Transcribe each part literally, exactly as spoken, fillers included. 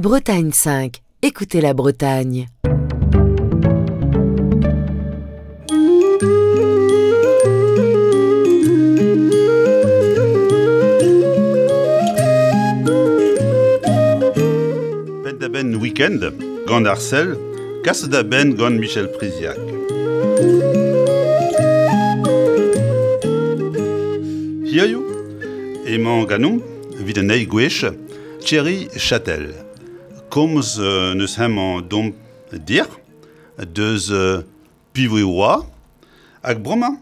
Bretagne cinq, écoutez la Bretagne. Pet da ben week-end, gant Arcel, kas da ben gant Michel Priziac. Hiziv emañ ganeomp evit an eil gwech Thierry Châtel. Komz euh, neus hemañ domp dir, deus euh, piv e oa, hag bremañ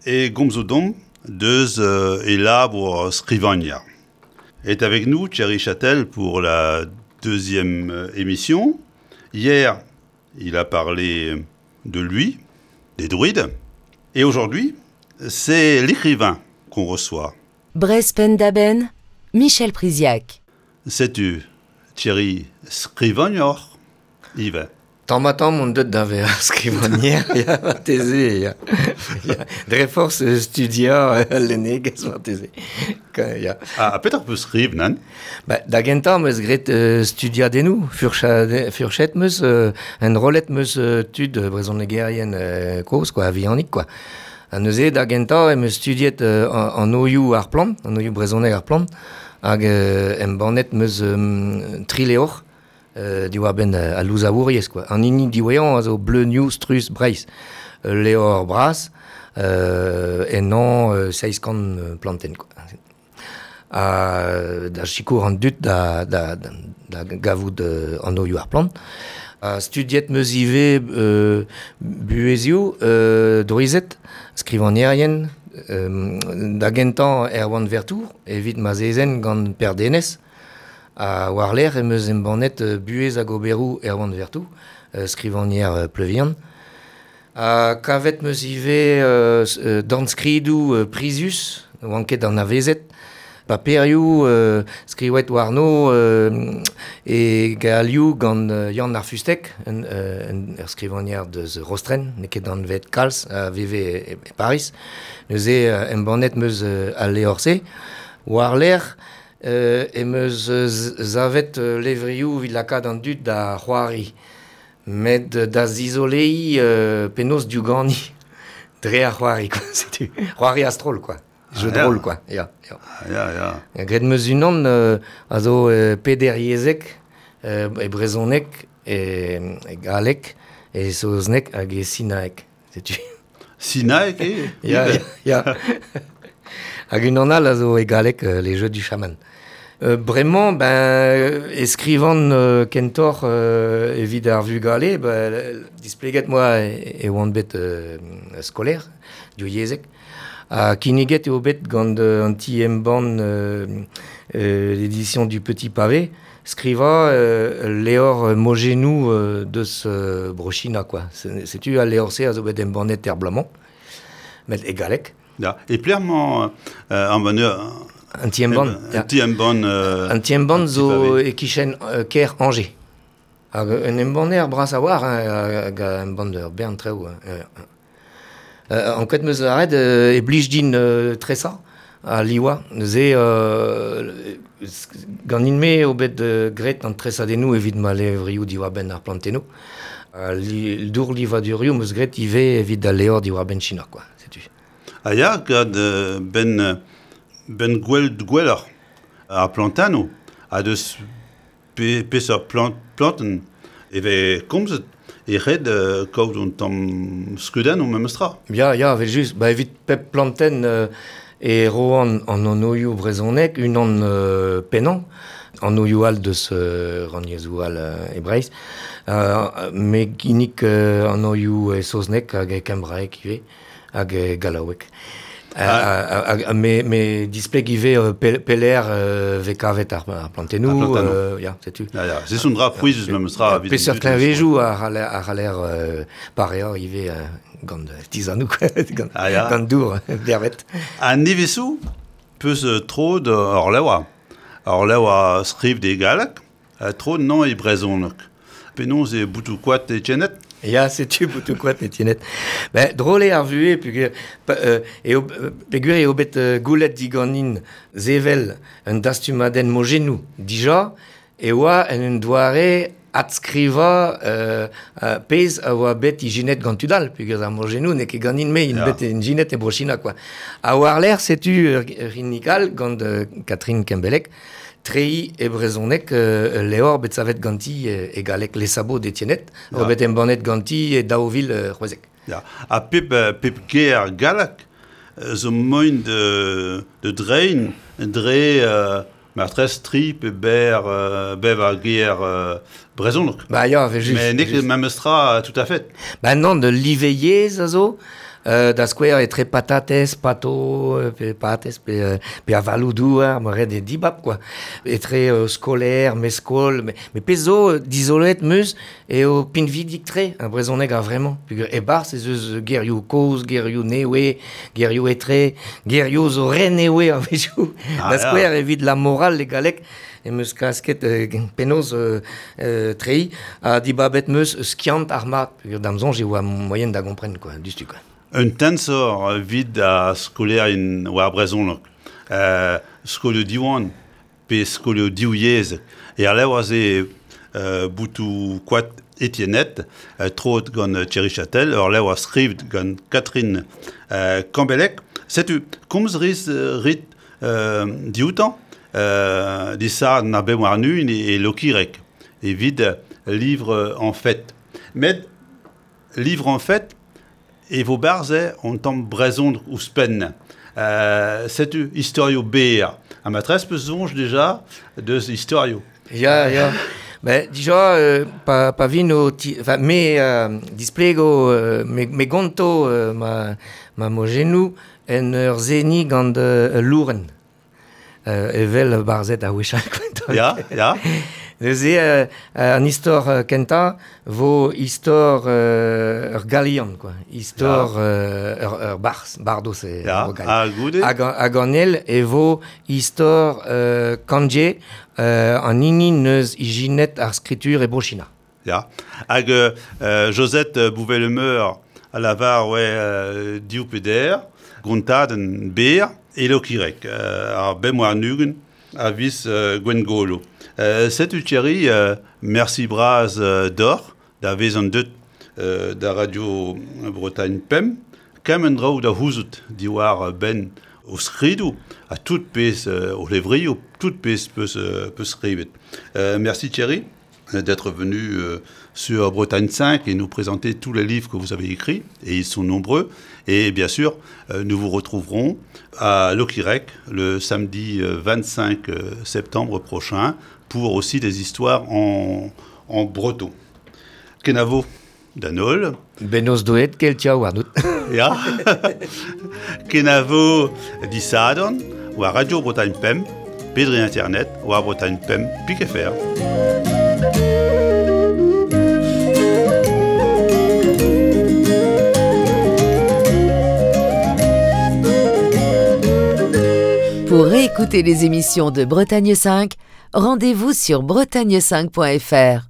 e gomzo domp deus euh, e labour skrivagner. Est avec nous Thierry Châtel pour la deuxième euh, émission. Hier, il a parlé de lui, des druides. Et aujourd'hui, c'est l'écrivain qu'on reçoit. Breizh Penn-da-Benn, Michel Priziac. Setu Thierry skrivagner, ivez. Tamm ha tamm on deut da vezañ skrivagner, ya, marteze, ya. Ya. Dre forzh studiañ al lennegezh marteze. Ya. Ah, petra peus skrivet, nann? Ba, da gentañ 'm eus graet euh, studiadennoù, furchade, furchet 'm eus, euh, enrollet 'm eus euh, tud brezhonegerien euh, kozh, quoi, a-vihanik, quoi. Ha neuze da gentañ em eus studiet euh, an anvioù ar plant, an anvioù brezhoneg ar plant, hag euh, embannet 'm eus euh, tri levr euh, diwar-benn euh, al louzawouriezh, quoi. An hini diwezhañ a zo Bleunioù Struzh Breizh. Ul levr bras, euh, ennañ euh, seizh kant euh, plantenn, quoi. Ha da sikour an dud da, da, da, da gavout euh, an anvioù ar plant. Ha studiet 'm eus ivez euh, buhezioù, euh, drouized, skrivagnerien, euh, da gentañ Erwan Vertour, evit ma zezenn gant Per Denez, ha war-lerc'h em eus embannet euh, buhez hag oberoù Erwan Vertour, euh, skrivagner euh, Pleuvihan. Ha kavet 'm eus ivez euh, euh, dornskridoù euh, prizius, oant ket anavezet, paperioù euh, skrivet warno euh, e galioù gant euh, Yann ar Fustec, un, euh, un, ur skrivagner deus Rostren, n'eo ket anvet kalz, a veve e, e Paris. Neuze euh, embannet 'm eus euh, al levr-se. War-lerc'h euh, em eus euh, savet euh, levrioù evit lakaat an dud da c'hoari. Met da zizoleiñ euh, penaos diouganiñ dre ar c'hoari, quoi. Setu. C'hoari a-stroll, quoi. Jeu Ah, de ya. rôle, quoi. Ya, ya. Ah, ya, ya. Graet 'm eus unan euh, a zo euh, pederyezhek, euh, e brezhoneg, e, e galleg, e saozneg hag e sinaeg. Setu. Sinaeg eo? Ya, ivez. ya, ya. Hag unan all a zo e galleg, euh, les jeux du chaman. Euh, bremañ, ben, e skrivan euh, kentoc'h euh, evit ar vugale, ben, displeget 'moa e, e oan bet euh, skolaer, divyezhek. Ha kinniget eo bet gant euh, an ti embann euh, euh, l'édition du Petit Pavé, skrivañ euh, levr mojennoù euh, deus euh, Bro-China, quoi. Setu al levr-se a zo bet embannet er bloaz-mañ, met e galleg. Ya. E pelec'h emañ euh, embanner An ti embann, Un ti embann euh, An ti embann un petit zo pavé. e-kichen euh, kêr Angers. Hag un embanner bras a-walc'h, hein, hag a embann ur bern traoù. Hein. Euh, euh, ankouaet 'm eus lâret euh, e blij din euh, tresañ ha livañ. Neuze euh, ganin-me eo bet euh, graet an tresadennoù evit ma levrioù diwar-benn ar plantennoù. Ha li, dourlivadurioù 'm eus graet ivez evit al levr diwar-benn China, quoi. Setu. Ah ya, gant euh, ben, ben gwell gwelloc'h ar plantennoù ha deus pe, peseurt plant, plantenn e vez komzet e ret euh, kaout un tamm skeudennoù memes tra. Ya, ya, evel just. Ba, evit pep plantenn euh, e roan an anvioù brezhoneg, unan euh, pennañ, an anvioù all deus euh, rannyezhoù all euh, e Breizh. Euh, me ginnig euh, an anvioù e saozneg hag e kembraeg ivez, hag e gallaoueg. Ah. Uh, uh, me, me displeg ivez euh, pe, pelec'h euh, vez kavet ar, ar plantennoù, Ar plantennoù. euh, ya, setu. Ya, ya. Se son dra pouezus memes tra. evit an Peseurt dud. kleñvedoù a c'haller, a c'haller euh, pareañ ivez euh, gant tizanoù, gant, Ah, ya. gant dour bervet. Ha nevez zo peus euh, troet ur levr. Ur levr a skriv e galleg, ha troet 'nezañ e brezhoneg. Penaos eo boutoù koad Etiennette? Ya, setu boutoù koad Etiennette. Ben, drol eo ar vuhez, peogwir, pa, euh, eo, peogwir eo bet euh, goulennet diganin sevel un dastumadenn mojennoù dija, e oa en un doare adskriva euh, euh, pezh a oa bet ijinet gant tudal, peogwir ar mojennoù n'eo ket ganin me, int bet ijinet e Bro-China, quoi. Ha war-lerc'h, setu ur rinnikal gant euh, Catherine Kembelek, treiñ e brezhoneg euh, levr bet savet ganti e galleg Les Sabots d'Étiennette, oa bet embannet ganti e daou vil c'hwezek. Ya. Ha pep, pep ger gallek zo moin de, de drein dre... Euh, Martrez tri pe ber euh, bev ar ger euh, brezhoneg. Ba ya, ve just. Mais n'eo ket memes tra tout à fait. Ba non, de liveiez a zo, euh, da skouer etre patatez, pato, pe patez, pe, pe avalou douar, ma red e dibab, quoi. Etre euh, skolaer, meskol, me, me pezh zo dizolet meus eo pinvidik tre, un brezhoneg a vraiment. Peogwir e-barzh ez eus gerioù kozh, gerioù newe, gerioù etre, gerioù zo re newe a-wechoù. Ah, da skouer evit la morale e galleg, em eus klasket euh, penaos euh, euh, treiñ, ha dibabet meus skiant ar mat, peogwir da'm soñj e oa moyen da gompren, quoi, dustu, quoi. Un tensor vid a skolaerien war brezhoneg, euh, skolioù Diwan pe skolioù div yezh. E ar levr aze euh, boutou koad Étiennette, euh, trot gant Thierry Châtel, ur levr a skrivet gant Catherine euh, Kambelek. Setu, komz riz rit euh, dioutan, euh, disar na bem war nun e, e lokirek, evit livre en fait. Met livre en fait, e vo barze on tamm brezhoneg ouzhpenn. Euh, setu historio ber. Ha matrez peus soñj déjà deus historio. Ya, ya. Ben, dija, euh, pa, pa vin o ti, enfin, me euh, displego, euh, me, me gonto euh, ma, ma mojennoù en ur zeni gant euh, louren. Euh, evel barzet a wechall. Ya, ya. Neuze, euh, an istor euh, kentañ vo istor euh, ur galian, quoi. Istor euh, ur, ur barz, bardos e ya, ha goude. Hag, hag an el e vo istor euh, Kanje, euh, an hini neus ijinet ar skritur e Bro-China. Ya. Hag euh, Josette Bouvet-Lemeur a lavar oe euh, div peder, gontadenn ber e lokirek, euh, ar bem war nugen a vis euh, Gwengolo. Euh, setu Thierry, euh, merci braz euh, d'or, da vez an deut euh, da Radio Bretagne Pemp, kem en draoù da houzout diwar ben o skridoù, a tout pezh euh, o levrioù, tout pezh peus, euh, peus skrivet. Euh, merci Thierry d'être venu euh, sur Bretagne cinq et nous présenter tous les livres que vous avez écrits, et ils sont nombreux. Et bien sûr, euh, nous vous retrouverons à Lokirek le samedi vingt-cinq septembre prochain pour aussi des histoires en, en breton. Kenavo danol. Benoz doet keltia war dout. Ya. Kenavo disadorn war Radio Bretagne Pemp, pedre internet war Bretagne Pemp pik F R. Pour réécouter les émissions de Bretagne cinq, rendez-vous sur bretagne cinq point F R.